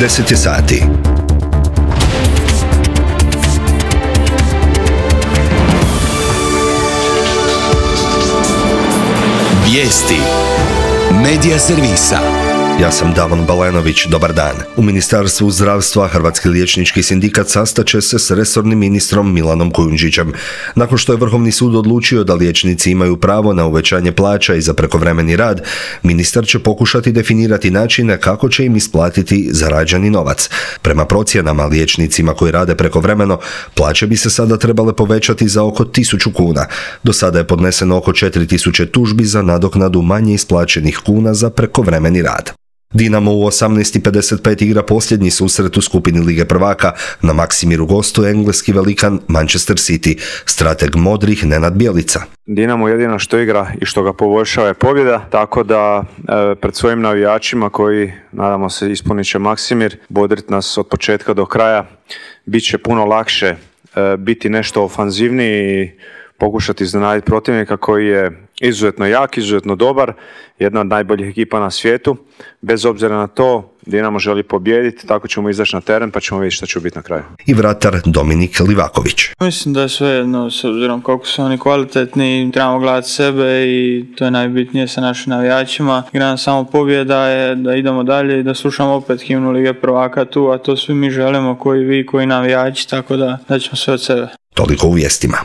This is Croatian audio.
10 je sati. Vijesti Medija servisa. Ja sam Davon Balenović, dobar dan. U Ministarstvu zdravstva Hrvatski liječnički sindikat sastaće se s resornim ministrom Milanom Kujundžićem. Nakon što je Vrhovni sud odlučio da liječnici imaju pravo na uvećanje plaća i za prekovremeni rad, ministar će pokušati definirati načine kako će im isplatiti zarađeni novac. Prema procjenama, liječnicima koji rade prekovremeno, plaće bi se sada trebale povećati za oko 1000 kuna. Do sada je podneseno oko 4000 tužbi za nadoknadu manje isplaćenih kuna za prekovremeni rad. Dinamo u 18:55 igra posljednji susret u skupini Lige prvaka. Na Maksimiru gostuje engleski velikan Manchester City, strateg modrih Nenad Bjelica. Dinamo jedino što igra i što ga poboljšava je pobjeda, tako da pred svojim navijačima koji, nadamo se, ispunit će Maksimir, bodrit nas od početka do kraja, bit će puno lakše biti nešto ofanzivniji i pokušati iznenaditi protivnika koji je izuzetno jak, izuzetno dobar, jedna od najboljih ekipa na svijetu. Bez obzira na to, Dinamo želi pobijediti, tako ćemo izaći na teren pa ćemo vidjeti što će biti na kraju. I vratar Dominik Livaković. Mislim da je sve jedno, s obzirom koliko su oni kvalitetni, trebamo gledati sebe i to je najbitnije sa našim navijačima. Igra samo pobjeda je da idemo dalje i da slušamo opet himnu Lige prvaka tu, a to svi mi želimo, koji vi, koji navijači, tako da ćemo sve od sebe. Toliko u vijestima.